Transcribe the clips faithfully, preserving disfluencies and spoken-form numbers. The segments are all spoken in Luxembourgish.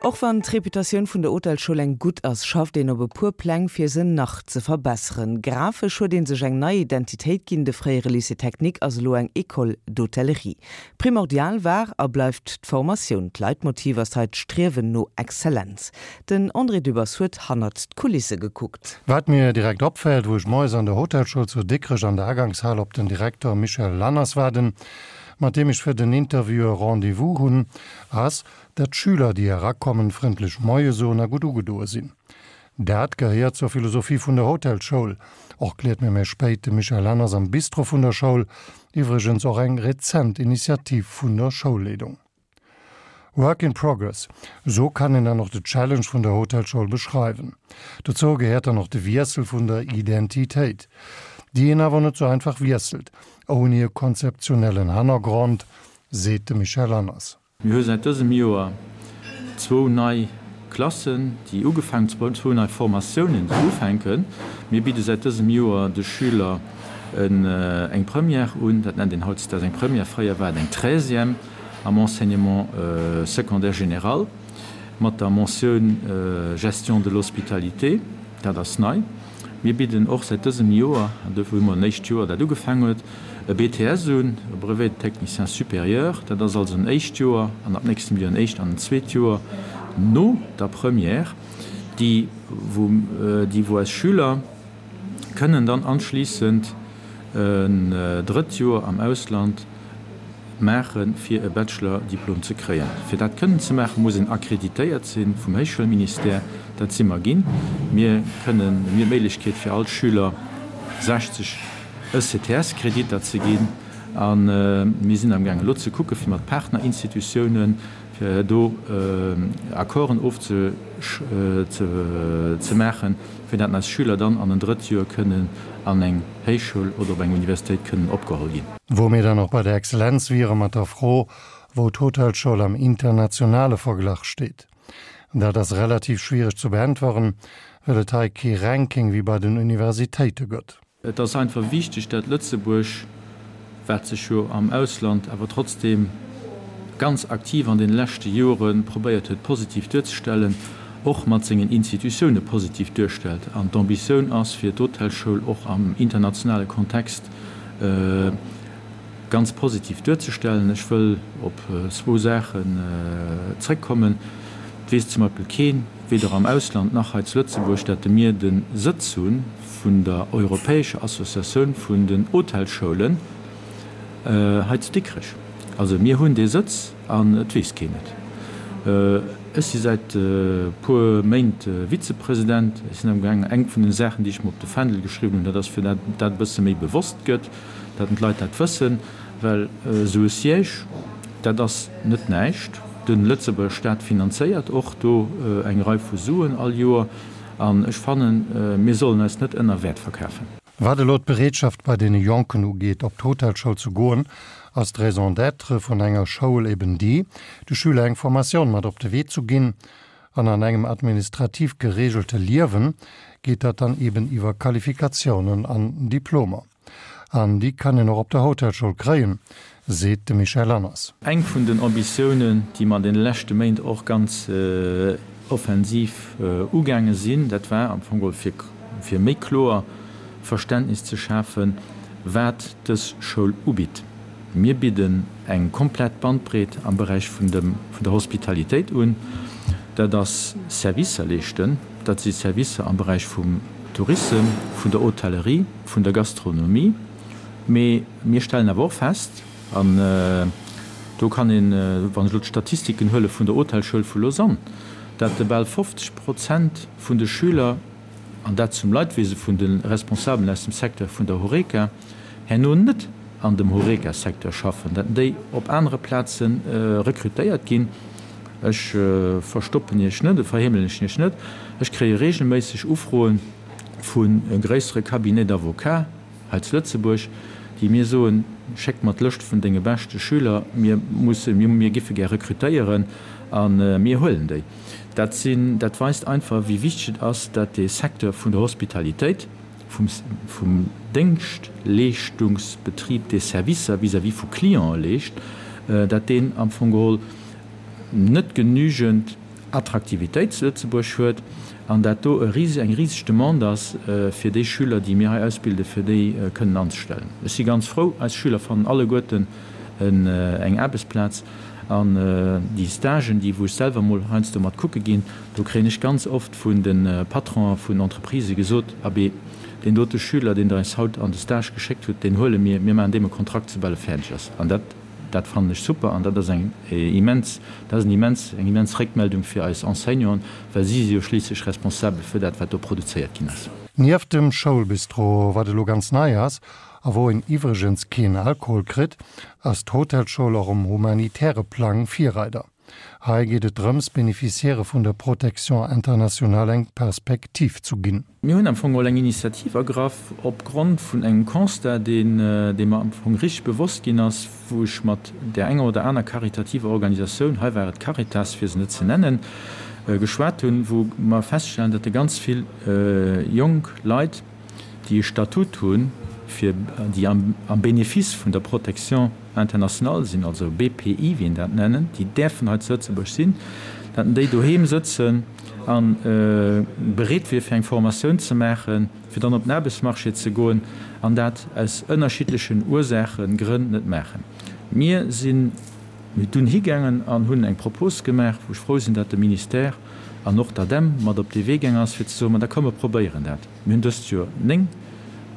Och wann d'Reputatioun vun der Hotelschoul eng gutt ass, schafft een op e puer Pläng fir se nach ze verbesseren. Grafesch huet ee sech eng nei Identitéit ginn, de fréiere Lycée technique ass elo eng École d'hôtellerie. Primordial war a bleift d'Formatioun. D'Leitmotiv ass hei d'Striewen no Exzellenz. Den André Dübbers huet hannert d'Kulisse gekuckt. Wat mir direkt opfält, wou ech moies an der Hotelschoul zu Dikrech an der Agangshal op den Direkter Michel Lanners waarden, mat deem ech fir den Interview e Rendez-vous hunn, ass, dat d'Schüler, déi erakommen, frëndlech Moie soen a gutt ugedoe sinn. Dat gehéiert zur Philosophie vun der Hotelschoul, erkläert mir méi spéit de Michel Lanners am Bistro vun der Schoul, iwwregens och eng rezent Initiativ vun der Schoulleedung. Work in progress, sou kann een dann och de Challenge vun der Hotelschoul beschreiwen. Dozou gehéiert dann och de Wiessel vun der Identitéit, déi een awer net sou einfach wiesselt, ouni e konzeptionellen Hannergrond, seet de Michel Lanners. Mir hu säit dësem Joer zwou nei Klassen, déi ugefaangen, zwou nei Formatiounen, déi ufänken. Mir bidde säit dësem Joer de Schüler eng Première un, dat nennt een hautdesdaags eng Première, fréier war et eng Treizième am Enseignement secondaire général, mat der Mentioun Gestion de l'hospitalité. Dat ass nei. Mir bidden och säit dësem Joer, an dofir hu mer en éischt Joer dat ugefaangen huet, e B T S un, e Brevet de technicien supérieur. Dat ass also en éischt Joer an ab nächstem Joer en éischt an en zweet Joer no der Première, déi wou déi wou eis Schüler kënnen dann anschliissend en drëtt Joer am Ausland maachen, fir e Bachelor-Diplom ze kréien. Fir dat kënnen ze maachen, muss een akkreditéiert si vum Héichschoulministère. Dat si mer ginn. Mir kënnen, mir hunn d'Méiglechkeet fir all Schüler sechzeg E C T S-Kreditter ze ginn a mir sinn amgaangen elo ze kucke fir mat Partnerinstitutiounen, fir do Accorden ofze ze maachen, fir dat eis Schüler dann an en drëtt Joer kënnen an eng Héichschoul oder op eng Universitéit kënnen opgeholl ginn. Wou mir dann och bei der Exzellenz wiere mat der Fro, wou d'Hotelschoul am internationale Verglach steet. Dat ass relativ schwiereg ze beäntweren, well et hei kee Ranking wéi bei den Universitéite gëtt. Et ass einfach wichteg, dat Lëtzebuerg, wat sech jo am Ausland awer trotzdeem ganz aktiv an den leschte Jore probéiert huet positiv duerzestellen, och mat sengen Institutioune positiv duerstellt. An d'Ambitioun ass fir d'Hotelschoul och am internationale Kontext ganz positiv duerzestellen. Ech wëll op zwou Saachen zréckkommen. Et weess zum Beispill keen, weder am Ausland nach hei zu Lëtzebuerg, dat de mir de Sëtz hu vun der Europäescher Associatioun vun den Hotelsschoulen hei zu Dikrech. Also mir hunn dee Sëtz an et weess keen et. Ech si säit e puer Méint Vizepresident. Ech sinn amgaangen, eng vun den Saachen, déi ech mer op de Fändel geschriwwen hunn, dat ass fir dat dat e bësse méi bewosst gëtt, dat d'Leit dat wëssen, well esou e Siège, dat ass net näischt. De Lëtzebuerger Staat finanzéiert och do eng Rei vu Suen all Joer an ech fannen, mir sollen eis net ënner Wäert verkafen. Wat elo d'Bereetschaft bei deene Jonken ugeet, op d'Hotelschoul ze goen, ass d'Raison d'être vun enger Schoul eben déi, de Schüler eng Formatioun mat op de Wee zu ginn, an an engem administrativ geregelte Liewen geet dat dann eben iwwer Qualifikatiounen an Diplomer. An déi kann een och op der Hotelschoul kréien, seet de Michel Lanners. Eng vun den Ambitiounen, déi mer an deene leschte Méint och ganz offensiv ugaange sinn, dat war am Fong geholl fir fir méi kloer Verständnis ze schafen, wat dës Schoul ubitt. Mir bidden eng komplett Bandbreet am Beräich vun dem vun der Hospitalitéit un. Dat ass Servicer leeschten, dat si Servicer am Beräich vum Tourisme, vun der Hotellerie, vun der Gastronomie. Mee mir stellen awer och fest, an do kann een, wann ech elo d'Statistiken huele vun der Hotelschoul vu Lausanne, dat bal fofzeg Prozent vun de Schüler, an dat zum Leidwese vun de Responsabelen aus dem Secteur vun der Horeca, herno net an dem Horeca-Secteur schaffen, dat déi op anere Plaze rekrutéiert ginn. Ech verstoppen Iech net, verheemelen ech Iech net, ech kréie regelméisseg Ufroe vu gréissere Cabinets d'avocats hei zu Lëtzebuerg, déi mir soen, Schéck mer d'Lëscht vun denge beschte Schüler, mir mussen, mir giffe gär rekrutéieren a mir huelen déi. Dat sinn, dat weist einfach, wéi wichteg et ass, dat dee Secteur vun der Hospitalitéit, vum, vum Déngschtleeschtungsbetrib, dee Servicer vis-à-vis vu Clientë leescht, dat deen am Fong geholl net genügend Attraktivitéit zu Lëtzebuerg huet an dat do e rise eng riseg Demande ass fir déi Schüler, déi mir hei ausbilden, fir déi kënnen anzestellen. Ech si ganz frou, eis Schüler fannen alleguerten eng Aarbechtsplaz an déi Stagen, déi wou ech selwer mol heiansdo mat kucke ginn, do kréien ech ganz oft vun de Patronen vun Entreprisë gesot, Abee, deen dote Schüler, deen Der eis haut an de Stage geschéckt hutt, deen huele mir, mir maachen deem e Kontrakt, soubal e fäerdeg ass. An dat, dat fannen ech super an dat ass eng immens, dat ass en immens, eng immens Réckmeldung fir eis Enseignanten, well si si jo schliisslech responsabel fir dat, wat do produzéiert ginn ass. Nieft dem Schoulbistro, wat elo ganz nei ass a wou een iwwregens keen Alkohol kritt, ass d'Hotelschoul och um humanitäre Plang Virreider. Hei geet et drëms, Beneficiairë vun der Protection internationale eng Perspektiv zu ginn. Mir hunn am Fong geholl eng Initiativ ergraff opgrond vun engem Constat, deen, dee mer am Fong richteg bewosst ginn ass, wou ech mat där enger oder aner karitativer Organisatioun, hei war et d'Caritas, fir se net ze nennen, geschwat hunn, wou mer feststellen, datt ganz vill jonk Leit, déi e Statut hunn, fir déi am Bénéfice vun der Protection internationale sinn, also B P I, wéi een dat nennen, déi däerfen hei zu Lëtzebuerg sinn, datt déi doheem sëtzen a bereet wier fir eng Formatioun ze maachen, fir dann op den Aarbechtsmarché ze goen, an dat aus ënnerschiddlechen Ursaachen, Grënn net maachen. Mir sinn dunn higaangen an hunn eng Propos gemaach, wou ech frou sinn, datt de Ministère an och d'ADEM mat op dee Wee gaang ass, fir ze soen, ma da komm mer probéieren dat. Mir hunn dëst Joer néng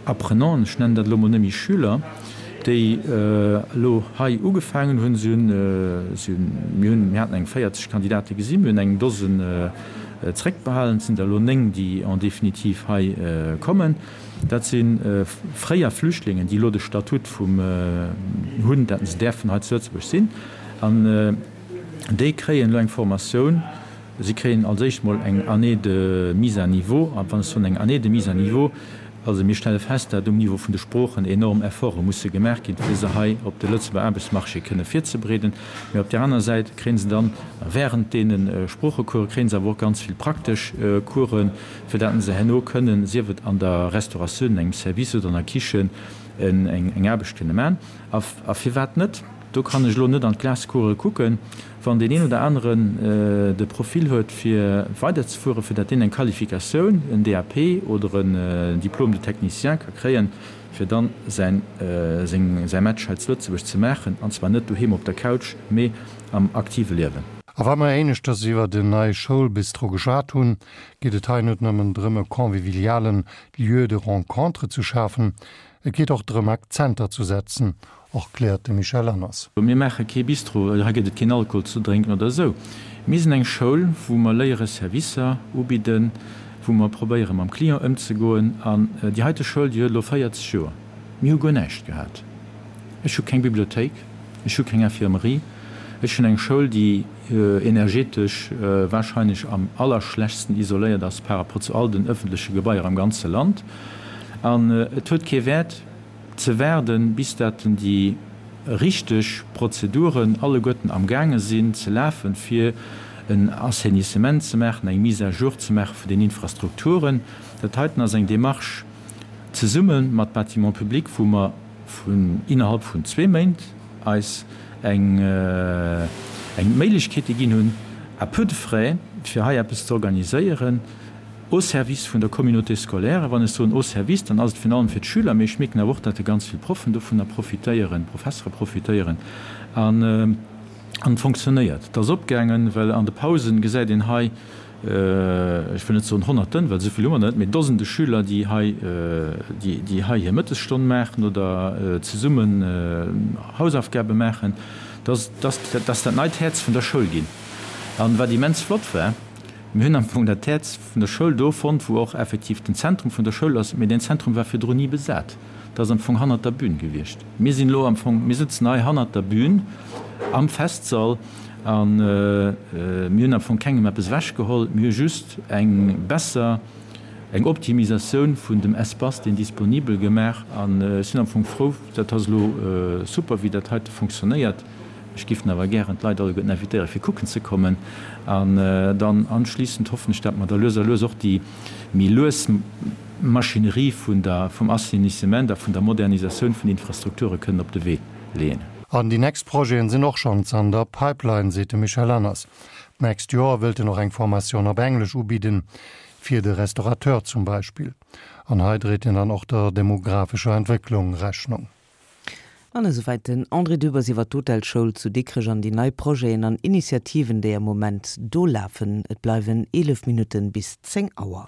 Apprenanten, ech nennen dat elo mol net méi Schüler, déi elo hei ugefaangen hunn. Si hunn, si hunn, mir hunn, mir haten eng véierzeg Kandidate gesinn, mir hunn eng Dosen zréckbehalen, et sinn der elo néng, déi en définitive hei kommen. Dat si fréier Flüchtlingen, déi elo de Statut vum hunn, dat se däerfen hei zu Lëtzebuerg sinn. An déi kréien elo eng Formatioun. Si kréien als éischt mol eng Année de mise à niveau. A wann ech soen eng Année de mise à niveau, also mir stelle fest, dat um Niveau vun de Sproochen enorm Efforte musse gemaach ginn, fir se hei op de Lëtzebuerger Aarbechtsmarché kënne virzebereeden. Mee op där aner Säit kréie se dann während deene Sproochecourse kréie se awer och ganz vill praktesch Coursen, fir dat se herno kënnen, sief et an der Restauratioun, engem Service oder an der Kichen, eng Aarbecht kënne maachen. A firwat net? Do kann ech elo net an d'Glaskugel kucken, wann deen een oder aneren de Profil huet fir weiderzefueren, fir datt deen eng Qualifikatioun, en D A P oder en Diplôme de technicien ka kréien, fir dann säin säi Match hei zu Lëtzebuerg ze maachen, an zwar net doheem op der Couch, mee am aktive Liewen. A wa mer éineschters iwwer den neie Schoulbistro geschwat hunn, geet et hei net nëmmen drëm e convivialen Lieu de rencontre ze schafen, et geet och drëm Akzenter ze setzen, erkläert de Michel Lanners. Mir maache kee Bistro, hei gëtt et keen Alkohol ze drénken oder esou. Mir sinn eng Schoul, wou mer léiere Servicer ubidden, wou mer probéiere mam Client ëmzegoen. An déi heite Schoul, déi huet elo véierzeg Joer. Mir hu guer näischt gehat. Ech hu keng Bibliothéik, ech hu keng Infirmerie, ech hunn eng Schoul, déi energetesch warscheinlech am allerschlechtsten isoléiert ass par rapport zu all den ëffentleche Gebaier am ganze Land. An et huet kee Wäert ze waarden, bis dat déi richteg Prozeduren alleguerten amgaange sinn ze lafen, fir en Assainissement ze maachen, eng Mise à jour ze maache vun den Infrastrukturen. Dat heiten ass eng Démarche zesumme mat Bâtiments publics, wou mer vun innerhalb vun zwee Méint eis eng eng Méiglechkeete ginn hunn, à peu de frais, fir hei eppes ze organiséieren, au service vun der Communauté scolaire. A wann ech soen au service, dann ass et virun allem fir d'Schüler, mee ech mierken awer och, datt ganz vill Proffen dovunner profitéieren, Professere profitéieren. An an et fonctionnéiert. Et ass opgaangen, well an de Pausen gesäit een hei, ech wëll net soen Honnerten, well esou vill hu mer net, mee Dosende Schüler, déi hei, déi déi hei hir Mëttesstonn maachen oder zesummen Hausaufgabe maachen. Dat ass dat ass dat neit Häerz vun der Schoul ginn. An wat immens flott war, mir hunn am Fong dat Häerz vun der Schoul do fonnt, wou och effektiv den Zentrum vun der Schoul ass, mee deen Zentrum war virdrun ni besat. Dat ass am Fong hannert der Bühn gewiescht. Mir sinn elo am Fong, mir sëtzen hei hannert der Bühn am Festsall a mir hunn am Fong kengem eppes ewechgeholl. Mir hu just eng besser, eng Optimisatioun vun dem Espace, deen disponibel gemaach. An ech sinn am Fong frou, dat ass elo super, wéi dat heite fonctionnéiert. Ech géif awer gären d'Leit alleguerten invitéieren, fir kucken ze kommen. An dann anschließend hoffen ech, datt mer da lues a lues och déi méi lues Maschinerie vun der, vum Assainissement a vun der Modernisatioun vun Infrastrukture kënnen op de Wee leeën. An déi nächst Projeten sinn och schonns an der Pipeline, seet de Michel Lanners. D'nächst Joer wëllt en och eng Formatioun op Englesch ubidden, fir de Restaurateur zum Beispill. An hei dréit en dann och der demographescher Entwécklung Rechnung. An esouwäit den André Dübbers iwwer d'Hotelschoul zu Dikrech an déi nei Projeten an Initiativen, déi am Moment do lafen. Et bleiwen eelef Minutten bis zéng Auer.